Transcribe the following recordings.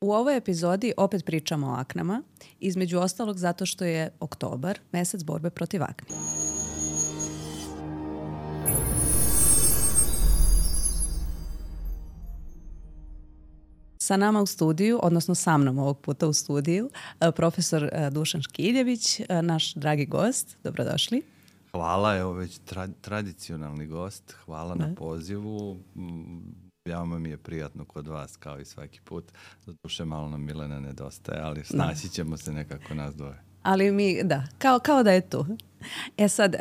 U ovoj epizodi opet pričamo o aknama, između ostalog zato što je oktobar, mesec borbe protiv akni. Sa nama u studiju, odnosno sa mnom ovog puta u studiju, profesor Dušan Škiljević, naš dragi gost. Dobrodošli. Hvala, evo već tradicionalni gost. Hvala na pozivu. Veoma mi je prijatno kod vas, kao i svaki put. Doduše malo nam Milena nedostaje, ali snaći ćemo se nekako nas dvoje. Ali mi, da, kao da je tu. E sad,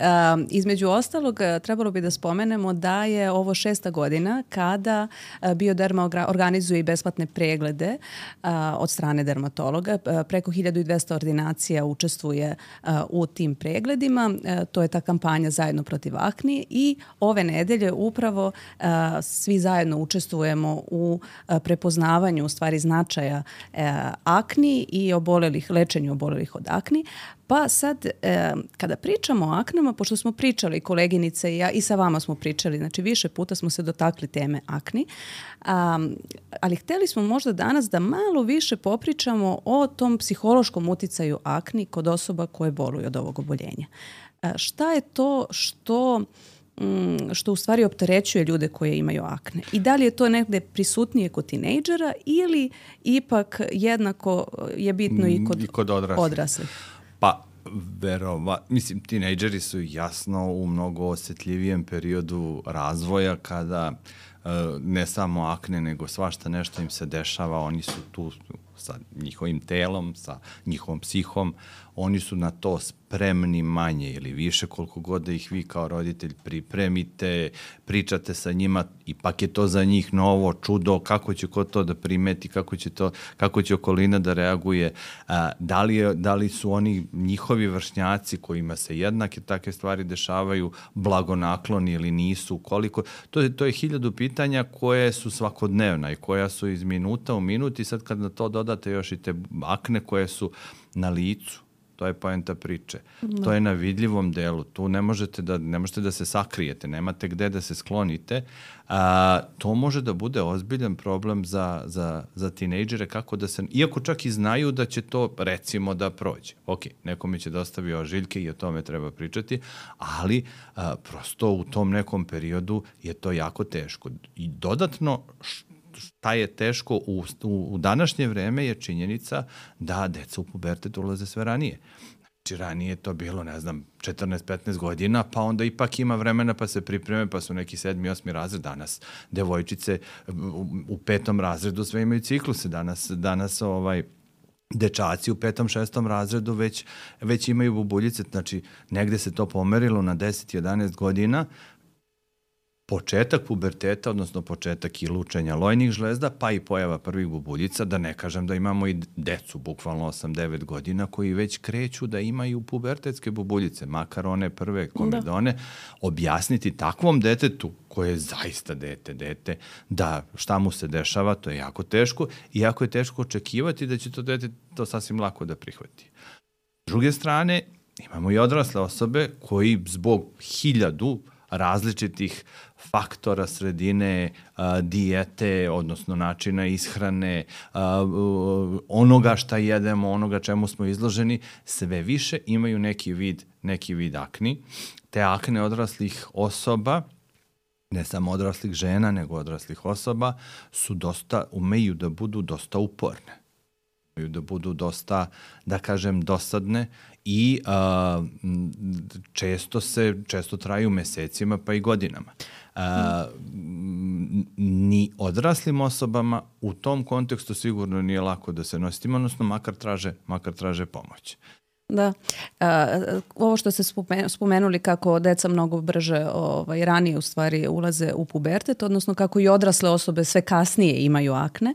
između ostalog, trebalo bi da spomenemo da je ovo 6. godina kada Bioderma organizuje i besplatne preglede od strane dermatologa. Preko 1200 ordinacija učestvuje u tim pregledima. To je ta kampanja Zajedno protiv akni i ove nedelje upravo svi zajedno učestvujemo u prepoznavanju u stvari značaja akni i lečenju obolelih od akni. Pa sad, kada pričamo o aknama, pošto smo pričali, koleginice i ja, i sa vama smo pričali, znači više puta smo se dotakli teme akni, ali hteli smo možda danas da malo više popričamo o tom psihološkom uticaju akni kod osoba koje boluju od ovog oboljenja. Šta je to što u stvari opterećuje ljude koje imaju akne? I da li je to negde prisutnije kod tinejdžera ili ipak jednako je bitno i kod odraslih? Pa, mislim, tinejdžeri su jasno u mnogo osjetljivijem periodu razvoja kada ne samo akne, nego svašta nešto im se dešava, oni su tu sa njihovim telom, sa njihovom psihom, oni su na to spremni manje ili više koliko god da ih vi kao roditelj pripremite, pričate sa njima, ipak je to za njih novo, čudo, kako će ko to da primeti, kako će okolina da reaguje, da li su oni njihovi vršnjaci kojima se jednake takve stvari dešavaju blagonakloni ili nisu, koliko, to je 1000 pitanja koje su svakodnevna i koja su iz minuta u minut i sad kad na to dodate još i te akne koje su na licu, to je poenta priče. To je na vidljivom delu. Tu ne možete da se sakrijete, nemate gde da se sklonite. To može da bude ozbiljan problem za tinejdžere, kako da se, iako čak i znaju da će to recimo da prođe. Ok, nekome će da ostavi ožiljke i o tome treba pričati, ali prosto u tom nekom periodu je to jako teško. I dodatno šta je teško u današnje vreme je činjenica da deca u pubertet ulaze sve ranije. Znači, ranije je to bilo, 14-15 godina, pa onda ipak ima vremena pa se pripreme, pa su neki 7. 8. razred. Danas devojčice u 5. razredu sve imaju cikluse. Danas dečaci u 5. 6. razredu već imaju bubuljice. Znači, negde se to pomerilo na 10-11 godina, početak puberteta, odnosno početak i lučenja lojnih žlezda, pa i pojava prvih bubuljica, da ne kažem da imamo i decu, bukvalno 8-9 godina, koji već kreću da imaju pubertetske bubuljice, makar one prve komedone, objasniti takvom detetu, koje je zaista dete, da šta mu se dešava, to je jako teško i jako je teško očekivati da će to dete to sasvim lako da prihvati. S druge strane, imamo i odrasle osobe koji zbog 1000 različitih faktora sredine, dijete, odnosno načina ishrane, onoga šta jedemo, onoga čemu smo izloženi, sve više imaju neki vid akni. Te akne odraslih osoba, ne samo odraslih žena, nego odraslih osoba, umeju da budu dosta uporne. Umeju da budu dosta, da kažem, dosadne i često traju mesecima pa i godinama. Ni odraslim osobama u tom kontekstu sigurno nije lako da se nosimo, odnosno makar traže pomoć. Da, ovo što ste spomenuli kako deca mnogo brže ranije u stvari ulaze u pubertet, odnosno kako i odrasle osobe sve kasnije imaju akne.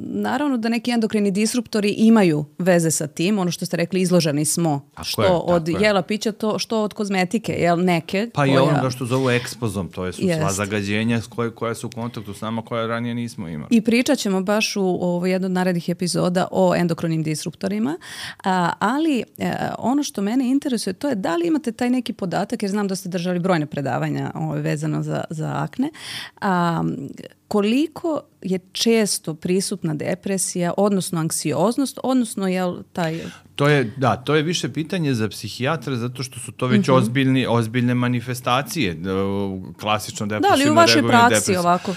Naravno da neki endokrini disruptori imaju veze sa tim, ono što ste rekli, izloženi smo od jela pića, što od kozmetike, jel neke. Pa i onoga što zovu ekspozom, to su sva zagađenja koja su u kontaktu s nama, koja ranije nismo imali. I pričat ćemo baš u jednoj od narednih epizoda o endokrinim disruptorima. Ali ono što mene interesuje to je da li imate taj neki podatak, jer znam da ste držali brojne predavanja vezano za akne, koliko je često prisutna depresija, odnosno anksioznost, odnosno taj... To je više pitanje za psihijatra, zato što su to već ozbiljne manifestacije, klasično depresivno. Da, ali u vašoj praksi ovako,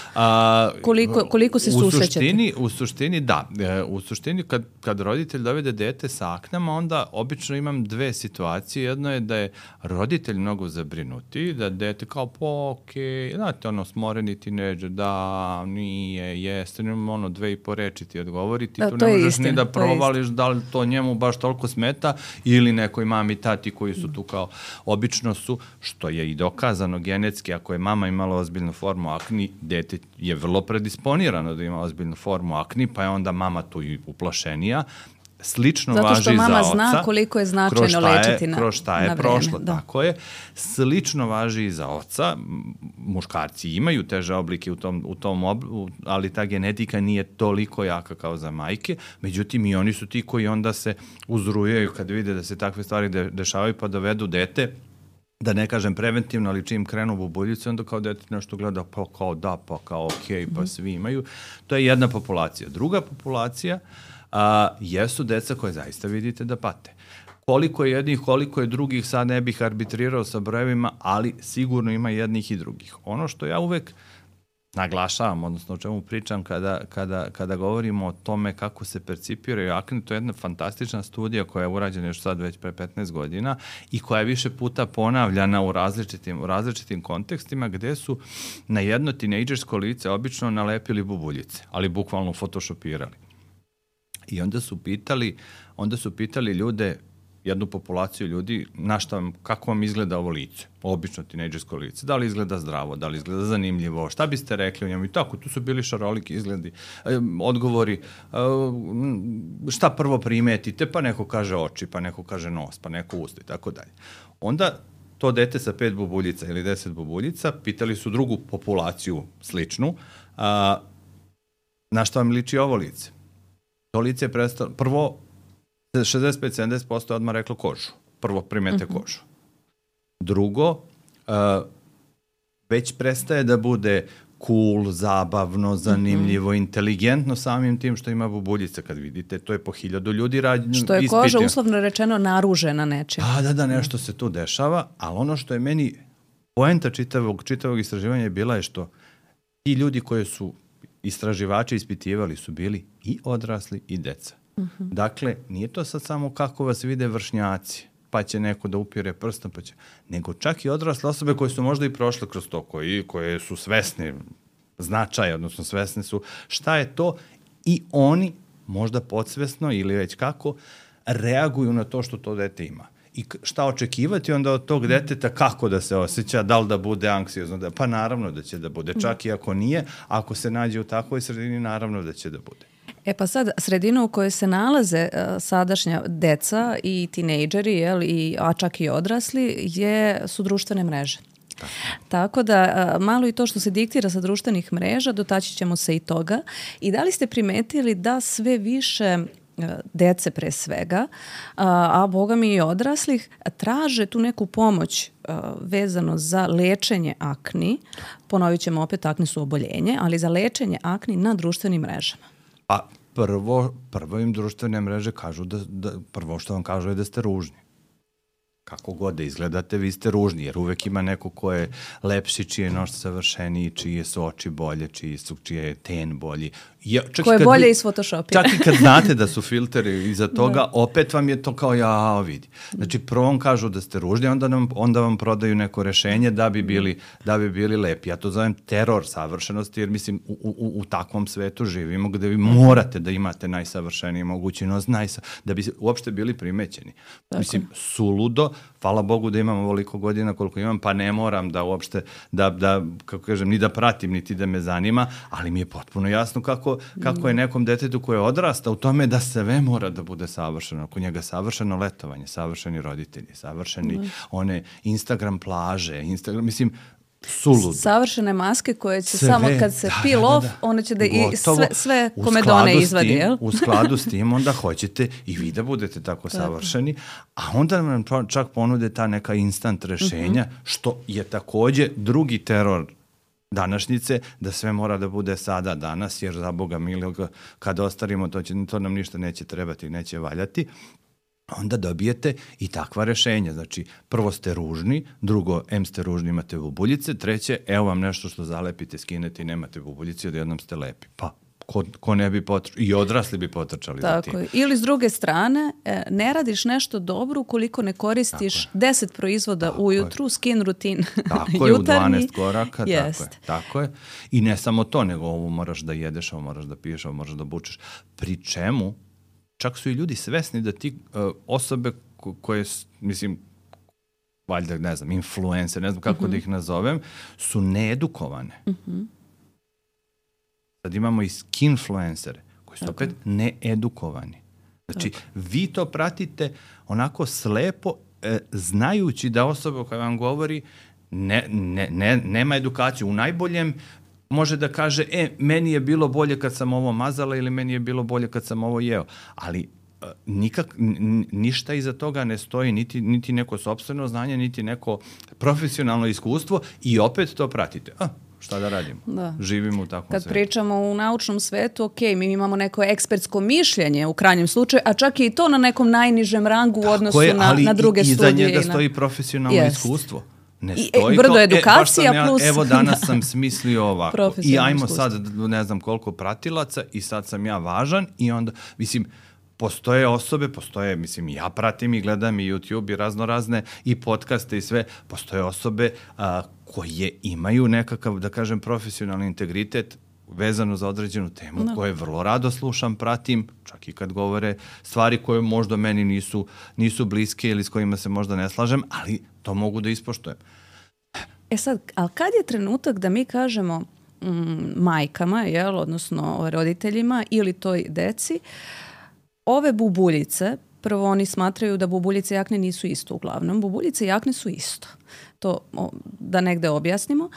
koliko se susrećete? U suštini, da. U suštini, kad roditelj dovede dete sa aknama, onda obično imam dve situacije. Jedno je da je roditelj mnogo zabrinuti, da dete kao okej, znate, smoreni tineđer, da, nije, jeste, imam 2,5 reči ti odgovoriti, tu ne možeš ni da provališ da li to njemu baš toliko smeta ili nekoj mami, tati koji su tu kao obično su, što je i dokazano genetski, ako je mama imala ozbiljnu formu akni, dete je vrlo predisponirano da ima ozbiljnu formu akni, pa je onda mama tu i uplašenija. Slično važi za oca. Zato što mama zna koliko je značajno lečiti na vreme. Kroz šta je prošlo, tako je. Slično važi i za oca. Muškarci imaju teže oblike ali ta genetika nije toliko jaka kao za majke. Međutim, i oni su ti koji onda se uzrujaju kad vide da se takve stvari dešavaju pa dovedu dete, da ne kažem preventivno, ali čim krenu bubuljice, onda kao dete nešto gleda, pa kao da, pa kao okej, pa svi imaju. To je jedna populacija. Druga populacija jesu deca koje zaista vidite da pate. Koliko je jednih, koliko je drugih, sad ne bih arbitrirao sa brojevima, ali sigurno ima jednih i drugih. Ono što ja uvek naglašavam, odnosno o čemu pričam kada govorimo o tome kako se percipiraju akne, to je jedna fantastična studija koja je urađena još sad već pre 15 godina i koja je više puta ponavljana u različitim kontekstima gde su na jedno tinejdžersko lice obično nalepili bubuljice, ali bukvalno photoshopirali. I onda su pitali ljude, jednu populaciju ljudi, kako vam izgleda ovo lice, obično tinejdžersko lice, da li izgleda zdravo, da li izgleda zanimljivo, šta biste rekli o njemu i tako, tu su bili šaroliki izgledi, odgovori, šta prvo primetite, pa neko kaže oči, pa neko kaže nos, pa neko usta i tako dalje. Onda to dete sa 5 bubuljica ili 10 bubuljica, pitali su drugu populaciju sličnu, na šta vam liči ovo lice? To lice je prestalo, prvo 65-70% odmah reklo kožu. Prvo primete kožu. Drugo, već prestaje da bude cool, zabavno, zanimljivo, inteligentno samim tim što ima bubuljice. Kad vidite, to je po 1000 ljudi rađeno. Što je koža uslovno rečeno naružena nečim. Da, nešto se tu dešava, ali ono što je meni poenta čitavog istraživanja je bila je što ti ljudi koje su istraživači ispitivali su bili i odrasli i deca. Dakle, nije to sad samo kako vas vide vršnjaci, pa će neko da upire prstom, nego čak i odrasle osobe koje su možda i prošle kroz to, koje su svesni značaja, odnosno svesni su šta je to i oni možda podsvesno ili već kako reaguju na to što to dete ima. I šta očekivati onda od tog deteta, kako da se osjeća, da li da bude anksiozno, pa naravno da će da bude, čak i ako nije, ako se nađe u takvoj sredini, naravno da će da bude. Pa sad, sredina u kojoj se nalaze sadašnja deca i tinejdžeri, a čak i odrasli, su društvene mreže. Tako da malo i to što se diktira sa društvenih mreža, dotaći ćemo se i toga. I da li ste primetili da sve više dece pre svega, a boga mi i odraslih, traže tu neku pomoć vezano za lečenje akni. Ponovit ćemo opet, akne su oboljenje, ali za lečenje akni na društvenim mrežama. Pa prvo im društvene mreže kažu prvo što vam kažu je da ste ružni. Kako god da izgledate, vi ste ružni, jer uvek ima neko ko je lepši, čiji je nos savršeniji, čije su oči bolje, čije je ten bolji. Ko je bolje iz Photoshopira. Čak i kad znate da su filteri iza toga, opet vam je to kao vidi. Znači, prvo vam kažu da ste ružni, onda vam prodaju neko rešenje da bi bili lepi. Ja to zovem teror savršenosti, jer mislim, u takvom svetu živimo gde vi morate da imate najsavršeniji mogući nos, da bi uopšte bili primećeni. Tako. Mislim, suludo, hvala Bogu da imam ovoliko godina koliko imam, pa ne moram da uopšte, kako kažem, ni da pratim, niti da me zanima, ali mi je potpuno jasno kako je nekom detetu koje odrasta u tome da sve mora da bude savršeno. Oko njega savršeno letovanje, savršeni roditelji, savršeni one Instagram plaže, mislim, suludo. Savršene maske koje će samo kad se peel off, one će da i sve komedone izvadi, jel? U skladu s tim onda hoćete i vi da budete tako savršeni, a onda nam čak ponude ta neka instant rešenja, što je takođe drugi teror današnjice, da sve mora da bude sada danas, jer za Boga miloga, kad ostarimo, to nam ništa neće trebati, neće valjati, onda dobijete i takva rešenja. Znači, prvo ste ružni, drugo, ste ružni, imate bubuljice, treće, evo vam nešto što zalepite, skinete i nemate bubuljice, odjednom ste lepi. Pa, ko ne bi potrčali, i odrasli bi potrčali za tim. Ili s druge strane, ne radiš nešto dobro ukoliko ne koristiš 10 proizvoda ujutru, skin rutin tako jutarnji. U 12 koraka, tako je. I ne samo to, nego ovo moraš da jedeš, ovo moraš da piješ, ovo moraš da bučeš. Pri čemu, čak su i ljudi svesni da ti osobe koje, mislim, valjda, ne znam, influencer, ne znam kako da ih nazovem, su needukovane. Sad imamo i skinfluencere koji su opet needukovani. Znači, vi to pratite onako slepo, znajući da osoba koja vam govori nema edukaciju. U najboljem može da kaže, meni je bilo bolje kad sam ovo mazala ili meni je bilo bolje kad sam ovo jeo. Ali ništa iza toga ne stoji, niti neko sopstveno znanje, niti neko profesionalno iskustvo i opet to pratite. Šta da radimo? Živimo u takvom Kad svetu. pričamo u naučnom svetu, mi imamo neko ekspertsko mišljenje u krajnjem slučaju, a čak i to na nekom najnižem rangu u odnosu na druge studije. Ali iza njega stoji profesionalno iskustvo. Brdo edukacija plus... Evo danas sam smislio ovako i ajmo sad, ne znam koliko pratilaca i sad sam ja važan i onda, mislim, postoje osobe, mislim, ja pratim i gledam i YouTube i raznorazne i podcaste i sve, postoje osobe koje imaju nekakav, da kažem, profesionalni integritet vezano za određenu temu koje vrlo rado slušam, pratim, čak i kad govore stvari koje možda meni nisu bliske ili s kojima se možda ne slažem, ali to mogu da ispoštujem. Sad, ali kad je trenutak da mi kažemo majkama, odnosno roditeljima ili toj deci, ove bubuljice, prvo oni smatraju da bubuljice i akne nisu isto uglavnom. Bubuljice i akne su isto. To da negde objasnimo.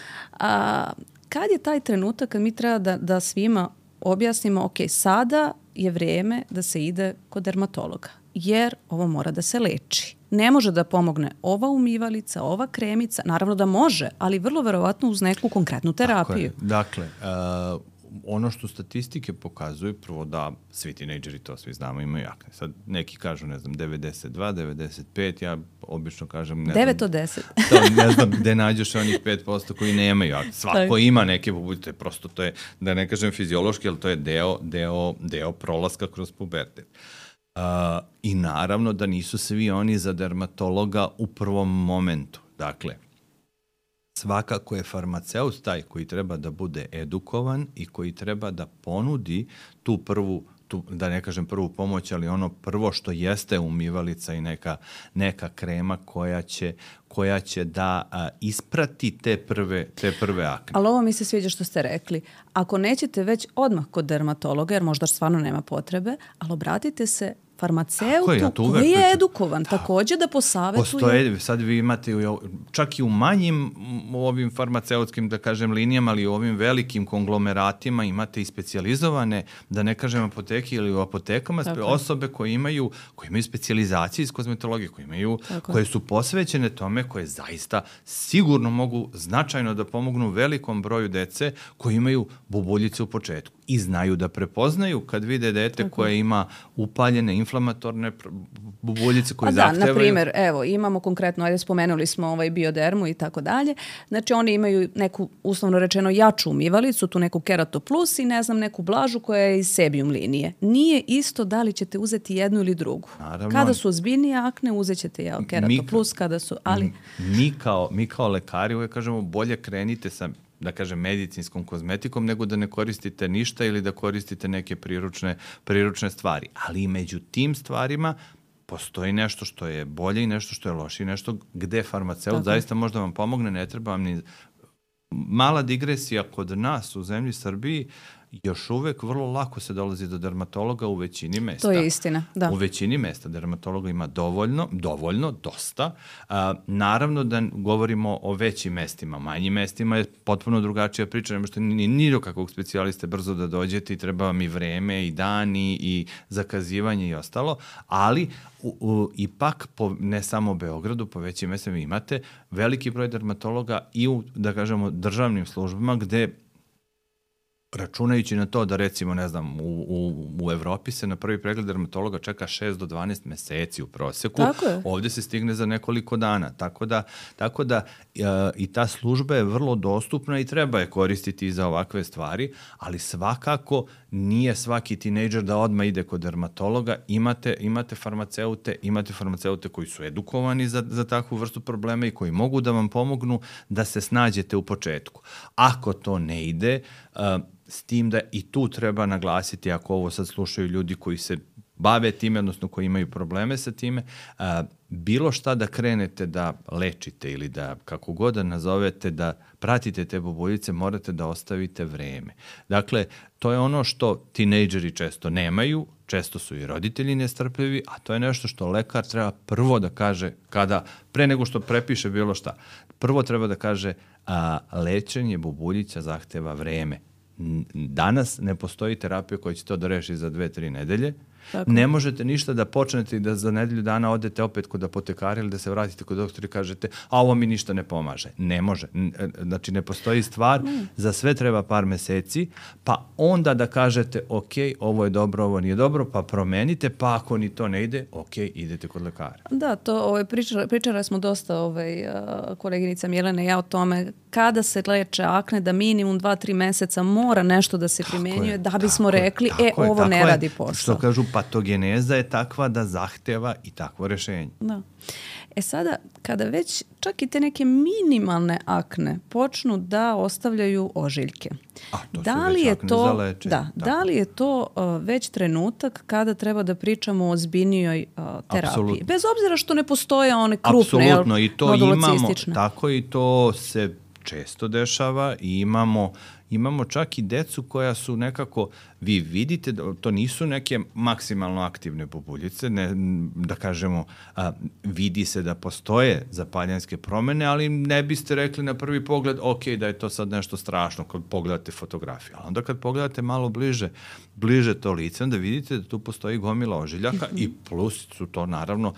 Kad je taj trenutak kad mi treba da svima objasnimo, sada je vrijeme da se ide kod dermatologa, jer ovo mora da se leči. Ne može da pomogne ova umivalica, ova kremica, naravno da može, ali vrlo verovatno uz neku konkretnu terapiju. Dakle, ono što statistike pokazuju, prvo da svi tinejdžeri, to svi znamo, imaju akne. Sad neki kažu, ne znam, 92, 95, ja obično kažem... 9 od 10. Ne znam gde nađeš onih 5% koji nemaju akne. Svako ima neke bubuljice, prosto to je, da ne kažem fiziološki, ali to je deo prolaska kroz pubertet. I naravno da nisu svi oni za dermatologa u prvom momentu. Dakle, svakako je farmaceut taj koji treba da bude edukovan i koji treba da ponudi tu prvu, da ne kažem prvu pomoć, ali ono prvo što jeste umivalica i neka krema koja će da isprati te prve akne. Ali ovo mi se sviđa što ste rekli. Ako nećete već odmah kod dermatologa, jer možda stvarno nema potrebe, ali obratite se farmaceutu koji je edukovan, također da posavjetuje. Postoje, sad vi imate čak i u manjim ovim farmaceutskim, da kažem, linijama, ali u ovim velikim konglomeratima imate i specijalizovane, da ne kažem apoteke ili u apotekama, osobe koje imaju specijalizacije iz kozmetologije, koje su posvećene tome, koje zaista sigurno mogu značajno da pomognu velikom broju dece koji imaju bubuljice u početku i znaju da prepoznaju kad vide dete koje ima upaljene inflamatorne bubuljice koje zahtevaju. Na primjer, evo, imamo konkretno, spomenuli smo biodermu i tako dalje. Znači, oni imaju neku, uslovno rečeno, jaču umivalicu, tu neku Kerato Plus i ne znam, neku blažu koja je iz Sebium linije. Nije isto da li ćete uzeti jednu ili drugu. Naravno. Kada su ozbiljnije akne, uzet ćete Kerato Plus, kada su, ali... Mi kao lekari uvijek kažemo bolje krenite sa, da kažem, medicinskom kozmetikom nego da ne koristite ništa ili da koristite neke priručne stvari. Ali i među tim stvarima postoji nešto što je bolje i nešto što je lošije, nešto gde farmaceut zaista možda vam pomogne, ne treba vam ni... Mala digresija kod nas u zemlji Srbiji, još uvek vrlo lako se dolazi do dermatologa u većini mesta. To je istina, da. U većini mesta dermatologa ima dovoljno, dosta. Naravno da govorimo o većim mestima. Manjim mestima je potpuno drugačija priča, nema što ni do kakvog specijaliste brzo da dođete i treba vam i vreme i dani i zakazivanje i ostalo, ali ipak, ne samo u Beogradu, po većim mestima imate veliki broj dermatologa i u, da kažemo, državnim službama gde računajući na to da recimo, ne znam, u Evropi se na prvi pregled dermatologa čeka 6 do 12 meseci u proseku. Ovde se stigne za nekoliko dana. Tako da i ta služba je vrlo dostupna i treba je koristiti za ovakve stvari, ali svakako nije svaki tinejdžer da odmah ide kod dermatologa. Imate farmaceute koji su edukovani za takvu vrstu problema i koji mogu da vam pomognu da se snađete u početku. Ako to ne ide, s tim da i tu treba naglasiti, ako ovo sad slušaju ljudi koji se bave time, odnosno koji imaju probleme sa time, bilo šta da krenete da lečite ili da, kako god da nazovete, da pratite te bubuljice, morate da ostavite vreme. Dakle, to je ono što tinejdžeri često nemaju, često su i roditelji nestrpljivi, a to je nešto što lekar treba prvo da kaže pre nego što prepiše bilo šta. Prvo treba da kaže, lečenje bubuljica zahteva vreme. Danas ne postoji terapija koja će to da reši za 2-3 nedelje. Tako. Ne možete ništa da počnete i da za nedelju dana odete opet kod apotekara ili da se vratite kod doktora i kažete, a ovo mi ništa ne pomaže. Ne može. Znači, ne postoji stvar. Za sve treba par meseci, pa onda da kažete, ok, ovo je dobro, ovo nije dobro, pa promenite, pa ako ni to ne ide, ok, idete kod lekara. Da, to pričali smo dosta koleginica Milena i ja o tome kada se leče akne, da minimum 2-3 meseca mora nešto da se primenjuje da bismo rekli, ovo ne radi posao. Što kažu, patogeneza je takva da zahteva i takvo rešenje. Da. Sada, kada već čak i te neke minimalne akne počnu da ostavljaju ožiljke, da li je to već trenutak kada treba da pričamo o ozbiljnijoj terapiji? Absolutno. Bez obzira što ne postoje one krupne, apsolutno, i to imamo, tako i to se često dešava i imamo čak i decu koja su nekako, vi vidite da to nisu neke maksimalno aktivne bubuljice, da kažemo, vidi se da postoje zapaljenske promene, ali ne biste rekli na prvi pogled, ok, da je to sad nešto strašno kad pogledate fotografiju. Ali onda kad pogledate malo bliže to lice, onda vidite da tu postoji gomila ožiljaka i plus su to naravno,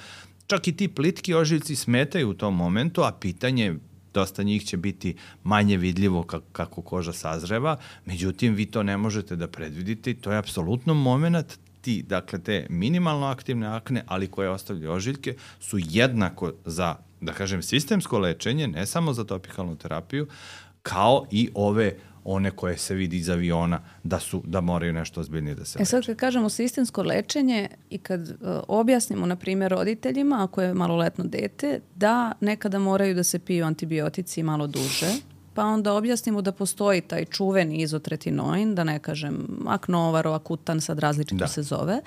čak i ti plitki ožiljci smetaju u tom momentu, a pitanje dosta njih će biti manje vidljivo kako koža sazreva, međutim vi to ne možete da predvidite i to je apsolutno moment dakle te minimalno aktivne akne, ali koje ostavljaju ožiljke, su jednako za, da kažem, sistemsko lečenje, ne samo za topikalnu terapiju, kao i one koje se vidi iz aviona da moraju nešto ozbiljnije da se leče. Sad kad kažemo sistemsko lečenje i kad objasnimo, na primjer, roditeljima, ako je maloletno dete, da nekada moraju da se piju antibiotici malo duže, pa onda objasnimo da postoji taj čuveni izotretinoin, da ne kažem aknovaro, akutan, sad različito se zove.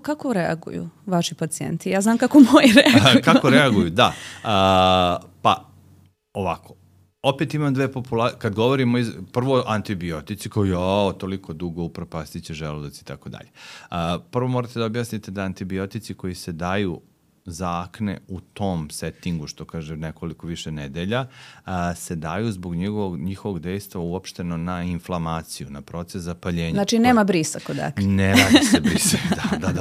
Kako reaguju vaši pacijenti? Ja znam kako moji reaguju. Kako reaguju, da. Pa, ovako. Opet imam dve populacije, kad govorimo prvo antibiotici koji toliko dugo upropastit će želudac i tako dalje. Prvo morate da objasnite da antibiotici koji se daju za akne u tom settingu, što kaže nekoliko više nedelja, se daju zbog njihovog dejstva uopšteno na inflamaciju, na proces zapaljenja. Znači nema brisa kod akne. Ne radi se briseve,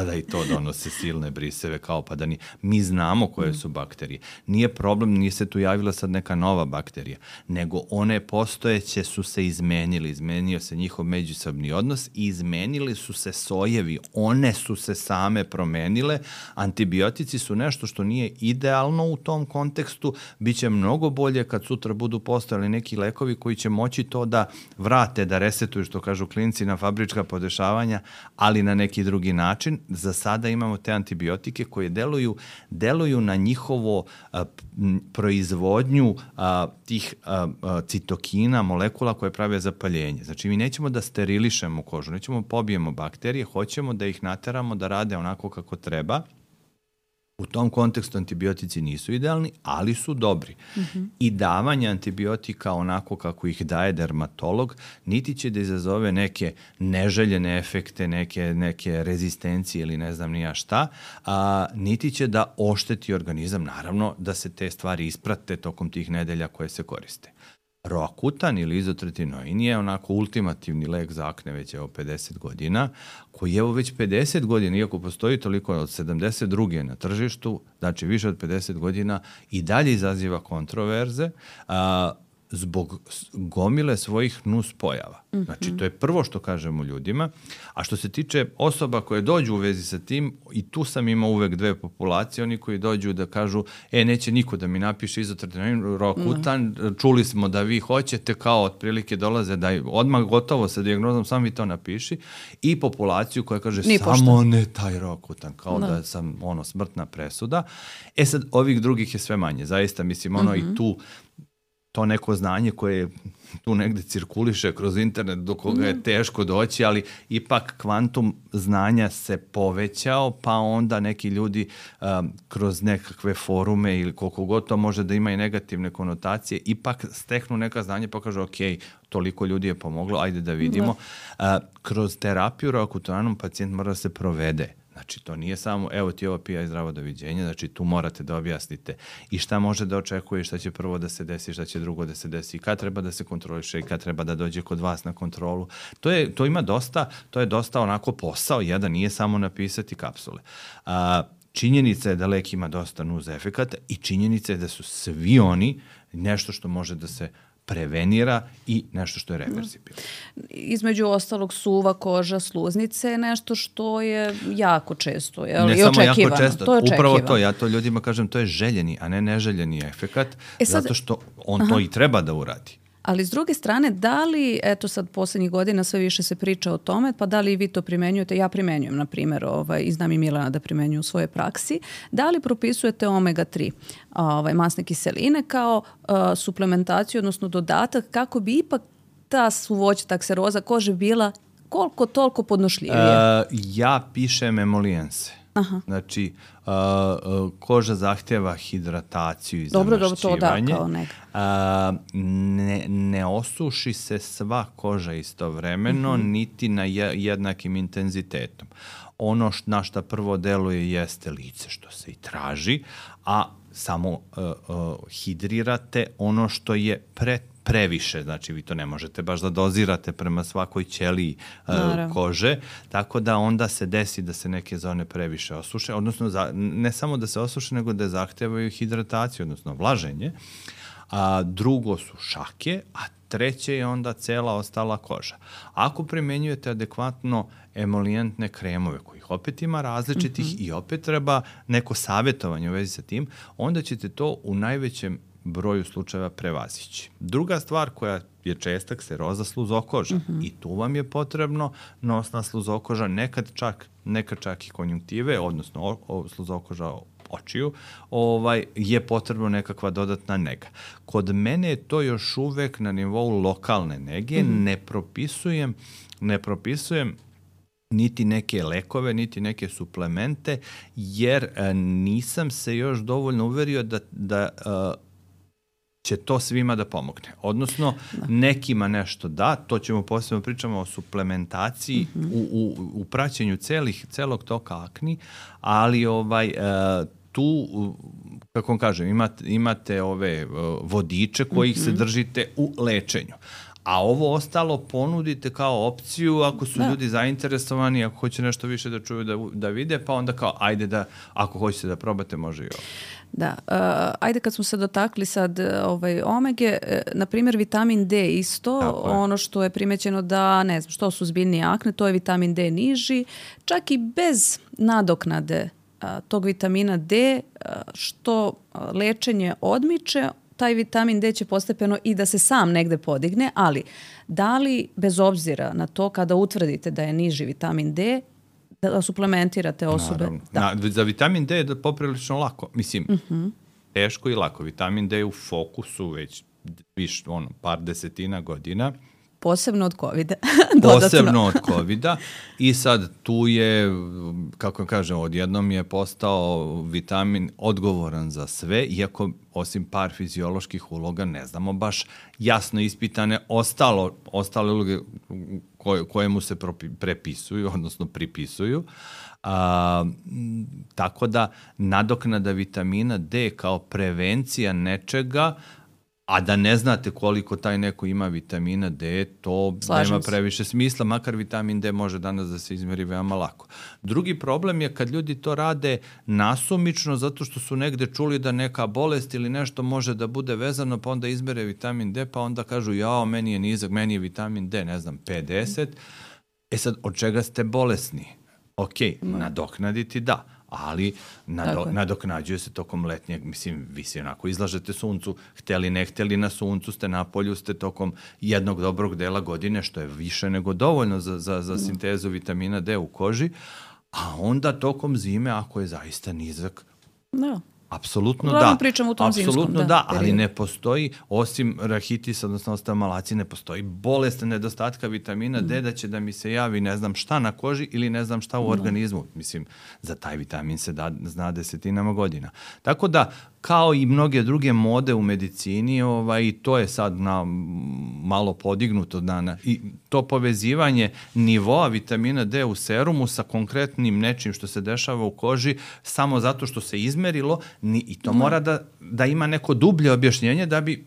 da, i to donose silne briseve, kao pa da mi znamo koje su bakterije. Nije problem, nije se tu javila sad neka nova bakterija, nego one postojeće su se izmenio se njihov međusobni odnos i izmenili su se sojevi, one su se same promenile, antibiotici su nešto što nije idealno u tom kontekstu, bit će mnogo bolje kad sutra budu postojali neki lekovi koji će moći to da vrate, da resetuju, što kažu klinci, na fabrička podešavanja, ali na neki drugi način. Za sada imamo te antibiotike koje deluju na njihovo proizvodnju tih citokina, molekula koje prave zapaljenje. Znači, mi nećemo da sterilišemo kožu, nećemo pobijemo bakterije, hoćemo da ih nateramo da rade onako kako treba. U tom kontekstu antibiotici nisu idealni, ali su dobri. I davanje antibiotika onako kako ih daje dermatolog, niti će da izazove neke neželjene efekte, neke rezistencije ili ne znam ni ja šta, niti će da ošteti organizam. Naravno da se te stvari isprate tokom tih nedelja koje se koriste. Roakutan ili izotretinoin je onako ultimativni lek za akne već 50 godina, koji već 50 godina, iako postoji toliko od 72. na tržištu, znači više od 50 godina, i dalje izaziva kontroverze zbog gomile svojih nuspojava. Znači, to je prvo što kažemo ljudima. A što se tiče osoba koje dođu u vezi sa tim, i tu sam imao uvek dve populacije, oni koji dođu da kažu, neće niko da mi napiše izotretinoin, roakutan, čuli smo da vi hoćete, kao otprilike dolaze da odmah gotovo sa dijagnozom, sam vi to napiši, i populaciju koja kaže, samo ne taj roakutan, kao da sam smrtna presuda. Sad, ovih drugih je sve manje. Zaista, mislim, i tu to neko znanje koje tu negde cirkuliše kroz internet do koga je teško doći, ali ipak kvantum znanja se povećao, pa onda neki ljudi kroz nekakve forume ili koliko god to može da ima i negativne konotacije, ipak steknu neka znanja pa kažu ok, toliko ljudi je pomoglo, ajde da vidimo. Kroz terapiju roakutanom pacijent mora da se provede. Znači, to nije samo, evo ti ovo pija i zdravo doviđenja, znači tu morate da objasnite i šta može da očekuje, šta će prvo da se desi, šta će drugo da se desi, kad treba da se kontroliše i kad treba da dođe kod vas na kontrolu. To ima dosta, to je dosta onako posao, jedan nije samo napisati kapsule. Činjenica je da lek ima dosta nuz efekata i činjenica je da su svi oni nešto što može da se prevenira i nešto što je reversibilno. Između ostalog, suva koža, sluznice je nešto što je jako često i ne samo jako često, upravo to, ja to ljudima kažem, to je željeni, a ne neželjeni efekat, zato što on to i treba da uradi. Ali s druge strane, da li, eto sad poslednjih godina sve više se priča o tome, pa da li vi to primenjujete? Ja primenjujem, na primjer, i znam i Milana da primenju u svojoj praksi. Da li propisujete omega-3 masne kiseline kao suplementaciju, odnosno dodatak, kako bi ipak ta suvoća, takseroza kože bila koliko toliko podnošljivija? Ja pišem emolijense. Znači, koža zahtjeva hidrataciju i zamašćivanje. Dobro, to da, kao ne osuši se sva koža istovremeno, niti na jednakim intenzitetom. Ono na šta prvo deluje jeste lice, što se i traži, a samo hidrirate ono što je previše, znači vi to ne možete baš da dozirate prema svakoj ćeliji kože, tako da onda se desi da se neke zone previše osuše, odnosno ne samo da se osuše, nego da zahtevaju hidrataciju, odnosno vlaženje, a drugo su šake, a treće je onda cela ostala koža. Ako primenjujete adekvatno emolijentne kremove, kojih opet ima različitih i opet treba neko savjetovanje u vezi sa tim, onda ćete to u najvećem broju slučajeva prevazići. Druga stvar koja je česta, kseroza sluzokoža. I tu vam je potrebno nosna sluzokoža, nekad čak i konjunktive, odnosno sluzokoža očiju, je potrebno nekakva dodatna nega. Kod mene je to još uvek na nivou lokalne nege, ne propisujem niti neke lekove, niti neke suplemente, jer nisam se još dovoljno uverio da će to svima da pomogne. Odnosno, nekima nešto da, to ćemo posebno pričamo o suplementaciji u praćenju celog toka akni, ali tu, kako vam kažem, imate ove vodiče kojih se držite u lečenju. A ovo ostalo ponudite kao opciju ako su ljudi zainteresovani, ako hoće nešto više da čuju, da vide, pa onda kao, ajde da, ako hoćete da probate, može i ovo. Da, ajde kad smo se dotakli sad omege, na primjer vitamin D isto, ono što je primećeno da, ne znam, što su zbiljni akne, to je vitamin D niži, čak i bez nadoknade tog vitamina D, što lečenje odmiče, taj vitamin D će postepeno i da se sam negde podigne, ali da li, bez obzira na to, kada utvrdite da je niži vitamin D, da suplementirate osobe? Za vitamin D je poprilično lako. Mislim, teško i lako. Vitamin D je u fokusu već par desetina godina. posebno od COVID-a. Posebno od COVID-a i sad tu je, kako kažem, odjednom je postao vitamin odgovoran za sve, iako osim par fizioloških uloga ne znamo baš jasno ispitane ostale uloge koje mu se prepisuju, odnosno pripisuju. Tako da nadoknada vitamina D kao prevencija nečega, a da ne znate koliko taj neko ima vitamina D, to nema previše smisla, makar vitamin D može danas da se izmeri veoma lako. Drugi problem je kad ljudi to rade nasumično, zato što su negde čuli da neka bolest ili nešto može da bude vezano, pa onda izmere vitamin D, pa onda kažu, jao, meni je nizak, meni je vitamin D, ne znam, 50. Sad, od čega ste bolesni? Ok, nadoknaditi da, ali nadoknađuje se tokom letnjeg, mislim, vi se onako izlažete suncu, hteli ne hteli, na suncu ste, na polju ste tokom jednog dobrog dela godine, što je više nego dovoljno za sintezu vitamina D u koži, a onda tokom zime, ako je zaista nizak, apsolutno da. Pričam u tom apsolutno da, ali ne postoji, osim rahitisa, odnosno ostamalaci, ne postoji bolest nedostatka vitamina D da će da mi se javi ne znam šta na koži ili ne znam šta u organizmu. Mislim, za taj vitamin se zna desetinama godina. Tako da, kao i mnoge druge mode u medicini, i to je sad malo podignuto i to povezivanje nivoa vitamina D u serumu sa konkretnim nečim što se dešava u koži samo zato što se izmerilo i to mora da ima neko dublje objašnjenje da bi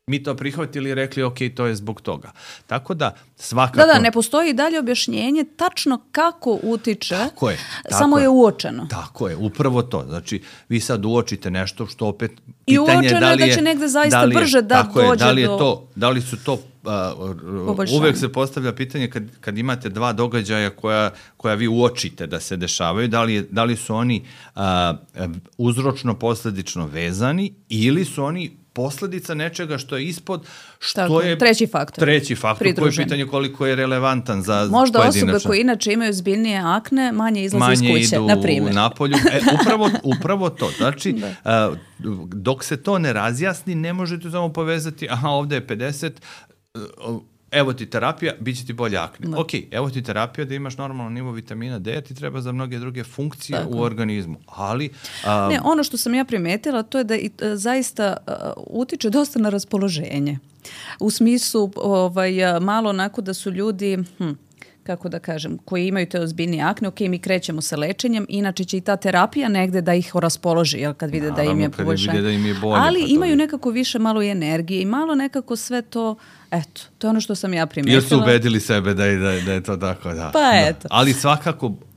mi to prihvatili i rekli, ok, to je zbog toga. Tako da, svakako... Da, ne postoji dalje objašnjenje tačno kako utiče, samo je uočeno. Tako je, upravo to. Znači, vi sad uočite nešto što opet... I uočeno je da će negde zaista brže da dođe do... Da li su to... uvek se postavlja pitanje kad imate dva događaja koja vi uočite da se dešavaju, da li su oni uzročno-posledično vezani ili su oni posledica nečega što je ispod, što je treći faktor. Koje je pitanje koliko je relevantan za možda pojedinačno. Osobe koje inače imaju zbiljnije akne manje izlaze iz kuće, na primjer. Manje idu napolju. Upravo to. Znači, dok se to ne razjasni, ne možete samo povezati, ovde je 50, evo ti terapija, bit će ti bolje akne. Ok, evo ti terapija da imaš normalno nivo vitamina D, ti treba za mnoge druge funkcije u organizmu. Ali... Ne, ono što sam ja primetila, to je da zaista utiče dosta na raspoloženje. U smislu, malo onako da su ljudi... kako da kažem, koji imaju te ozbiljnije akne, ok, mi krećemo sa lečenjem, inače će i ta terapija negde da ih raspoloži, kad vide da im je poboljšanje. Ali imaju nekako više malo i energije i malo nekako sve to, eto, to je ono što sam ja primetila. Jer su ubedili sebe da je to tako, da. Pa eto. Ali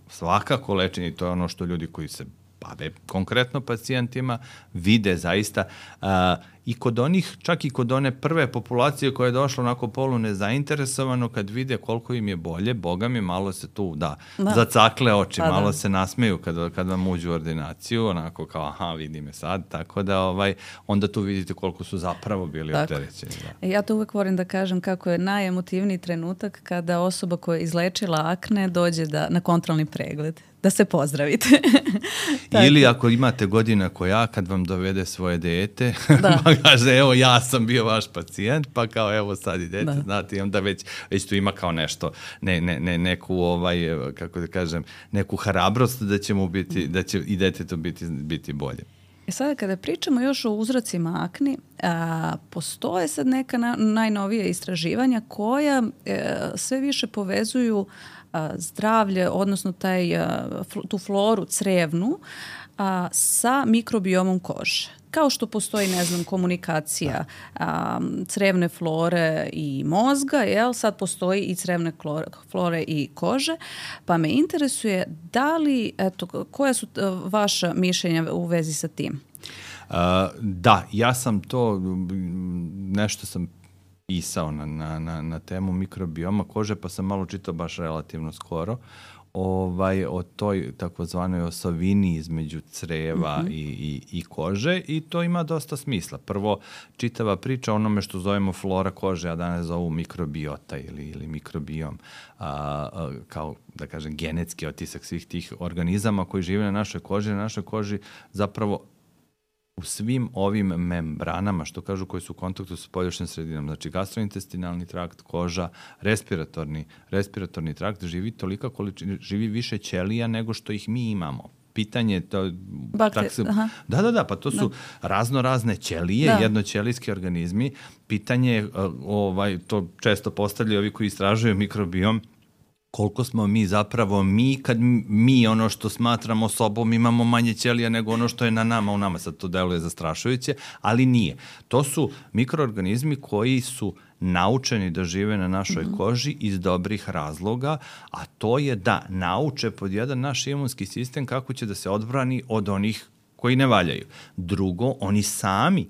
svakako lečenje, to je ono što ljudi koji se bave konkretno pacijentima, vide zaista i kod onih, čak i kod one prve populacije koja je došla onako polu nezainteresovano, kad vide koliko im je bolje, boga mi, malo se tu, zacakle oči, malo se nasmeju kad vam uđu u ordinaciju, onako kao, vidi me sad, tako da onda tu vidite koliko su zapravo bili opterećeni. Ja to uvek volim da kažem kako je najemotivniji trenutak kada osoba koja je izlečila akne dođe na kontrolni pregled, da se pozdravite. Ili ako imate godina koja, kad vam dovede svoje dete, pa kaže, evo ja sam bio vaš pacijent, pa kao evo sad i dete, znate, i onda već tu ima kao nešto, neku, kako da kažem, neku hrabrost da će mu biti, da će i detetu biti bolje. Sada kada pričamo još o uzrocima akni, postoje sad neka najnovija istraživanja koja sve više povezuju zdravlje, odnosno tu floru crevnu sa mikrobiomom kože. Kao što postoji, komunikacija crevne flore i mozga, sad postoji i crevne flore i kože, pa me interesuje koja su vaša mišljenja u vezi sa tim? Da, ja sam to, nešto sam pisao na temu mikrobioma kože, pa sam malo čitao baš relativno skoro o toj takozvanoj osovini između creva i kože i to ima dosta smisla. Prvo, čitava priča o onome što zovemo flora kože, a danas zovu mikrobiota ili mikrobiom, kao, da kažem, genetski otisak svih tih organizama koji žive na našoj koži zapravo u svim ovim membranama, što kažu, koji su u kontaktu sa polješnim sredinom, znači gastrointestinalni trakt, koža, respiratorni trakt, živi tolika količina, živi više ćelija nego što ih mi imamo. Pitanje to pa to su razne ćelije, jednoćelijski organizmi. Pitanje je, to često postavljaju ovi koji istražuju mikrobiom, koliko smo mi zapravo kad mi ono što smatramo sobom imamo manje ćelija nego ono što je na nama, u nama. Sad to deluje zastrašujuće, ali nije. To su mikroorganizmi koji su naučeni da žive na našoj koži iz dobrih razloga, a to je da nauče pod jedan naš imunski sistem kako će da se odbrani od onih koji ne valjaju. Drugo, oni sami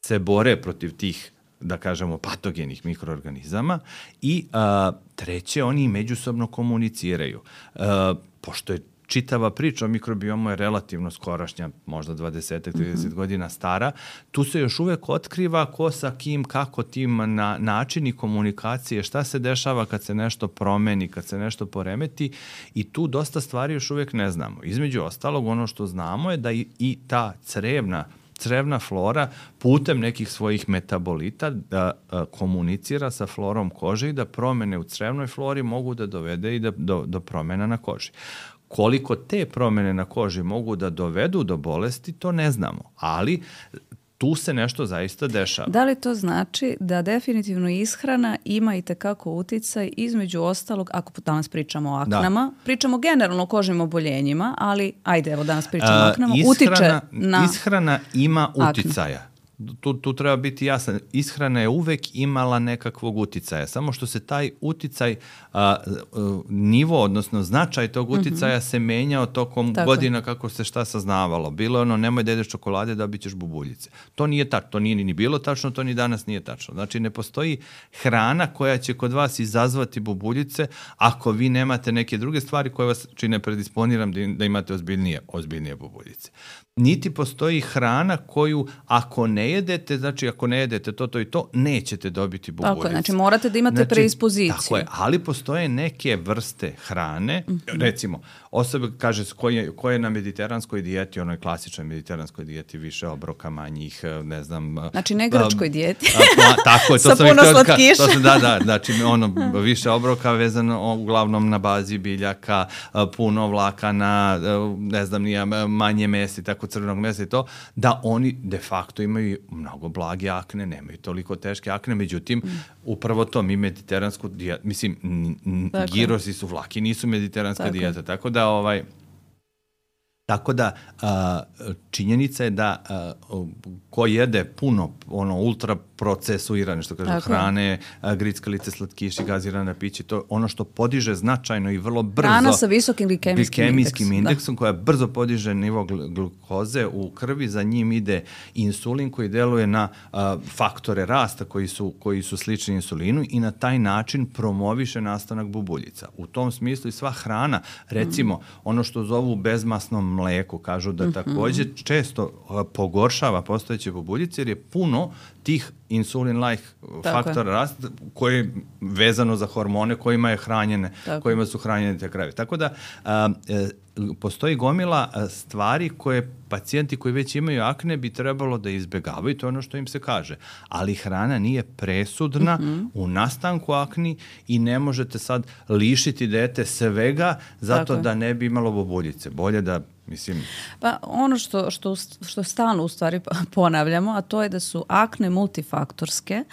se bore protiv tih, da kažemo, patogenih mikroorganizama i treće, oni međusobno komuniciraju. Pošto je čitava priča o mikrobiomu je relativno skorašnja, možda 20-30 godina stara, tu se još uvek otkriva ko sa kim, kako tim, načini komunikacije, šta se dešava kad se nešto promeni, kad se nešto poremeti, i tu dosta stvari još uvek ne znamo. Između ostalog, ono što znamo je da i ta crevna flora putem nekih svojih metabolita da komunicira sa florom kože i da promene u crevnoj flori mogu da dovede i do promena na koži. Koliko te promene na koži mogu da dovedu do bolesti, to ne znamo, ali tu se nešto zaista dešava. Da li to znači da definitivno ishrana ima i tekako uticaj, između ostalog, ako danas pričamo o aknama, pričamo generalno o kožnim oboljenjima, ali ajde, evo danas pričamo o aknama, utiče na... Ishrana ima uticaja. Tu treba biti jasan. Ishrana je uvek imala nekakvog uticaja, samo što se taj uticaj, nivo, odnosno značaj tog uticaja se menjao tokom godina kako se šta saznavalo. Bilo je ono, nemoj da jedeš čokolade, dobit ćeš bubuljice. To nije tačno, to nije ni bilo tačno, to ni danas nije tačno. Znači, ne postoji hrana koja će kod vas izazvati bubuljice ako vi nemate neke druge stvari koje vas čine predisponiram da imate ozbiljnije bubuljice. Niti postoji hrana koju ako ne jedete, znači ako ne jedete to i to, nećete dobiti bubuljice. Tako je, znači morate da imate predispoziciju. Tako je, ali postoje neke vrste hrane, recimo, osoba kaže ko je na mediteranskoj dijeti, onoj klasičnoj mediteranskoj dijeti, više obroka, manjih, ne znam... Znači ne grčkoj dijeti. Tako je, sa puno slatkiša. Znači više obroka vezano uglavnom na bazi biljaka, puno vlakana, ne znam, manje mesa i tako, crvenog mesa i to, da oni de facto imaju mnogo blage akne, nemaju toliko teške akne, međutim, upravo to, mi mediteransku dijetu, mislim, girosi su vlaki, nisu mediteranska dijeta, tako da činjenica je da ko jede puno ultra procesuirane, što kažu, hrane, grickalice, slatkiši, gazirana pića, to je ono što podiže značajno i vrlo brzo... Hrana sa visokim glikemijskim indeksom koja brzo podiže nivo glukoze u krvi, za njim ide insulin koji deluje na faktore rasta koji su slični insulinu i na taj način promoviše nastanak bubuljica. U tom smislu i sva hrana, recimo ono što zovu bezmasnom mleku, kažu da također često pogoršava postojeće bubuljice jer je puno tih insulin-like faktora rasta koje je vezano za hormone kojima su hranjene te krave. Tako da postoji gomila stvari koje pacijenti koji već imaju akne bi trebalo da izbegavaju, to je ono što im se kaže. Ali hrana nije presudna u nastanku akni i ne možete sad lišiti dete svega zato da ne bi imalo bubuljice. Bolje da, mislim... Pa ono što stalno u stvari ponavljamo, a to je da su akne multifaktorske,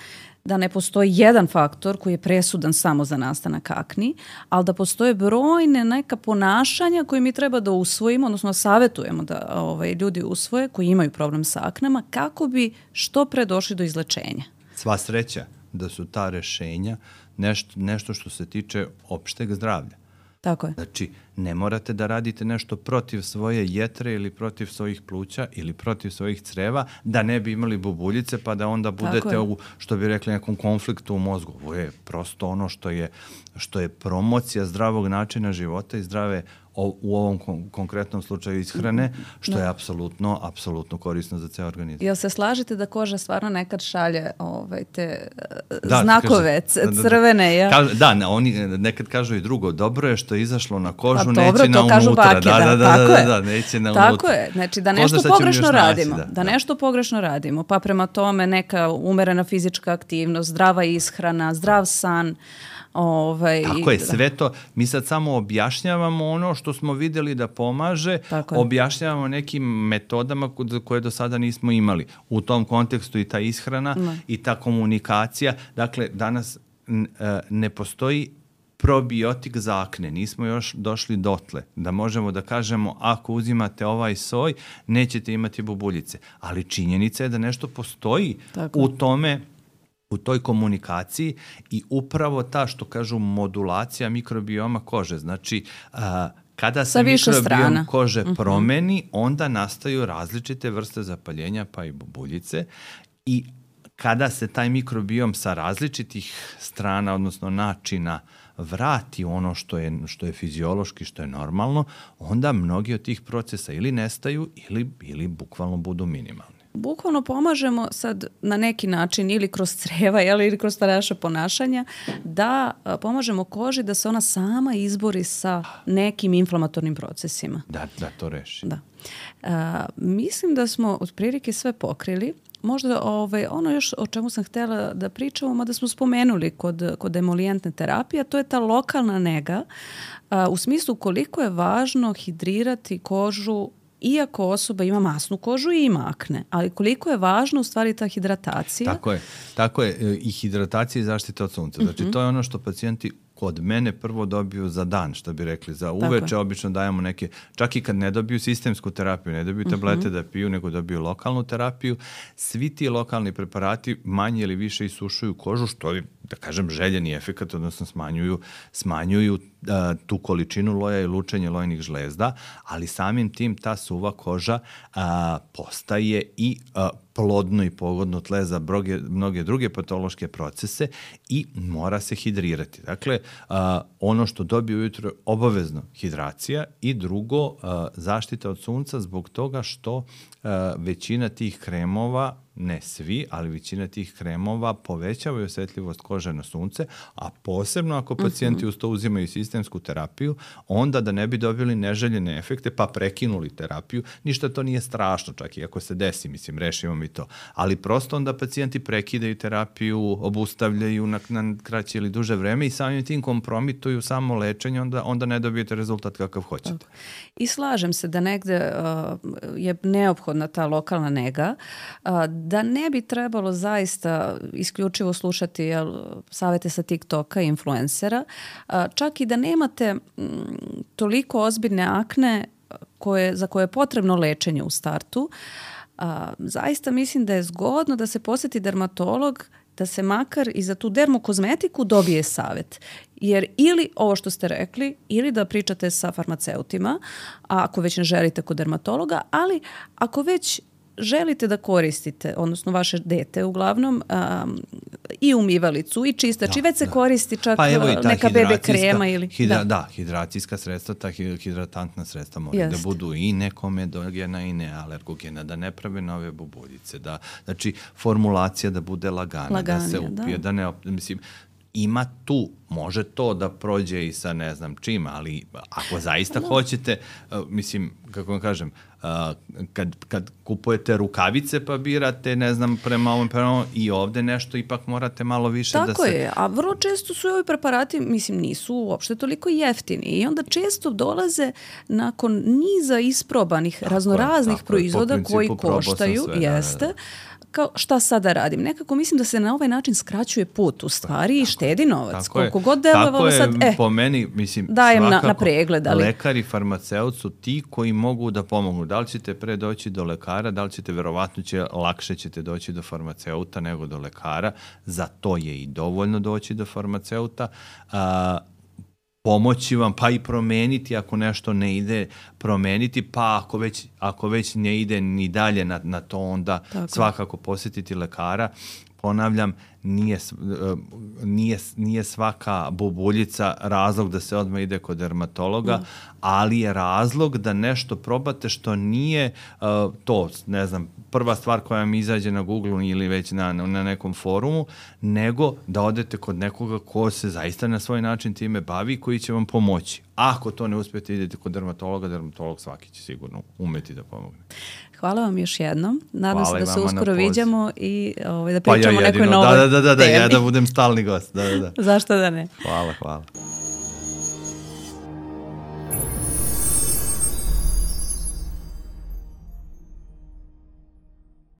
da ne postoji jedan faktor koji je presudan samo za nastanak akni, ali da postoje brojne neka ponašanja koje mi treba da usvojimo, odnosno savjetujemo da ljudi usvoje koji imaju problem sa aknama, kako bi što pre došli do izlečenja. Sva sreća da su ta rešenja nešto što se tiče opšteg zdravlja. Tako je. Znači, ne morate da radite nešto protiv svoje jetre ili protiv svojih pluća ili protiv svojih creva da ne bi imali bubuljice pa da onda budete u, što bi rekli, nekom konfliktu u mozgu. Ovo je prosto ono što je promocija zdravog načina života i zdrave u ovom konkretnom slučaju ishrane, što je apsolutno korisno za ceo organizam. Jel se slažete da koža stvarno nekad šalje te znakove crvene? Ja? Oni nekad kažu i drugo, dobro je što je izašlo na kožu, dobro, neće na unutra. Kažu bake, Neće na tako unutra. je, znači da nešto pogrešno radimo, nešto pogrešno radimo, pa prema tome neka umerena fizička aktivnost, zdrava ishrana, zdrav san. Tako je, sve to. Mi sad samo objašnjavamo ono što smo videli da pomaže, objašnjavamo nekim metodama koje do sada nismo imali. U tom kontekstu i ta ishrana i ta komunikacija. Dakle, danas ne postoji probiotik za akne. Nismo još došli dotle da možemo da kažemo ako uzimate ovaj soj, nećete imati bubuljice. Ali činjenica je da nešto postoji u toj komunikaciji i upravo ta, što kažu, modulacija mikrobioma kože. Znači, kada se mikrobiom kože promeni, onda nastaju različite vrste zapaljenja, pa i bubuljice. I kada se taj mikrobiom sa različitih strana, odnosno načina, vrati ono što je fiziološki, što je normalno, onda mnogi od tih procesa ili nestaju ili bukvalno budu minimalni. Bukvalno pomažemo sad na neki način ili kroz creva ili kroz naša ponašanja da pomažemo koži da se ona sama izbori sa nekim inflamatornim procesima. Da to reši. Da. Mislim da smo otprilike sve pokrili. Možda ono još o čemu sam htjela da pričamo, mada smo spomenuli kod emolijentne terapije, to je ta lokalna nega u smislu koliko je važno hidrirati kožu iako osoba ima masnu kožu i ima akne, ali koliko je važno u stvari ta hidratacija. Tako je. I hidratacija i zaštita od sunca. Znači, to je ono što pacijenti kod mene prvo dobiju za dan, što bi rekli. Za uveče obično dajemo neke, čak i kad ne dobiju sistemsku terapiju, ne dobiju tablete da piju, nego dobiju lokalnu terapiju. Svi ti lokalni preparati manje ili više isušuju kožu, što je, da kažem, željeni efekat, odnosno smanjuju tu količinu loja i lučenje lojnih žlezda, ali samim tim ta suva koža postaje i plodno i pogodno tle za mnoge druge patološke procese i mora se hidrirati. Dakle, ono što dobije ujutro je obavezno hidracija i drugo, zaštita od sunca zbog toga što većina tih kremova, ne svi, ali većina tih kremova povećavaju osjetljivost kože na sunce, a posebno ako pacijenti uz to uzimaju sistemsku terapiju, onda da ne bi dobili neželjene efekte pa prekinuli terapiju, ništa to nije strašno, čak i ako se desi, mislim, rešimo mi to. Ali prosto onda pacijenti prekidaju terapiju, obustavljaju na kraće ili duže vreme i samim tim kompromituju samo lečenje, onda ne dobijete rezultat kakav hoćete. I slažem se da negde je neophodna ta lokalna nega, da ne bi trebalo zaista isključivo slušati savete sa TikToka i influencera, čak i da nemate toliko ozbiljne akne za koje je potrebno lečenje u startu. Zaista mislim da je zgodno da se posjeti dermatolog, da se makar i za tu dermokozmetiku dobije savjet. Jer ili ovo što ste rekli, ili da pričate sa farmaceutima, ako već ne želite kod dermatologa, ali ako već želite da koristite, odnosno vaše dete uglavnom, i umivalicu i čistač, i već se koristi čak neka bebe krema ili... Hidracijska sredstva, ta hidratantna sredstva moraju da budu i nekomedogena i nealergogena, da ne prave nove bubuljice, znači formulacija da bude lagana, da se upije, da ne... Mislim, ima tu, može to da prođe i sa ne znam čim, ali ako zaista hoćete, mislim, kako vam kažem, kad kupujete rukavice pa birate, ne znam, prema ovom i ovde nešto, ipak morate malo više tako da se... Tako je, a vrlo često su i ovi preparati, mislim, nisu uopšte toliko jeftini i onda često dolaze nakon niza isprobanih raznoraznih proizvoda koji koštaju, jeste, kao šta sada radim. Nekako mislim da se na ovaj način skraćuje put u stvari i štedi novac. Koliko god delovalo sad, po meni, mislim, dajem na pregled. Ali... Lekar i farmaceut su ti koji mogu da pomognu. Da li ćete pre doći do lekara, da li ćete, verovatno lakše ćete doći do farmaceuta nego do lekara. Za to je i dovoljno doći do farmaceuta. Pomoći vam, pa i promeniti ako nešto ne ide, promeniti, pa ako već ne ide ni dalje na to, onda svakako posjetiti lekara. ponavljam, nije svaka bubuljica razlog da se odmah ide kod dermatologa, ali je razlog da nešto probate što nije to, ne znam, prva stvar koja mi izađe na Google ili već na nekom forumu, nego da odete kod nekoga ko se zaista na svoj način time bavi, koji će vam pomoći. Ako to ne uspijete, idete kod dermatologa, dermatolog svaki će sigurno umeti da pomogne. Hvala vam još jednom. Nadam se da se uskoro viđamo i da pričamo o nekoj novoj temi. Da, ja da budem stalni gost. Da. Zašto da ne? Hvala.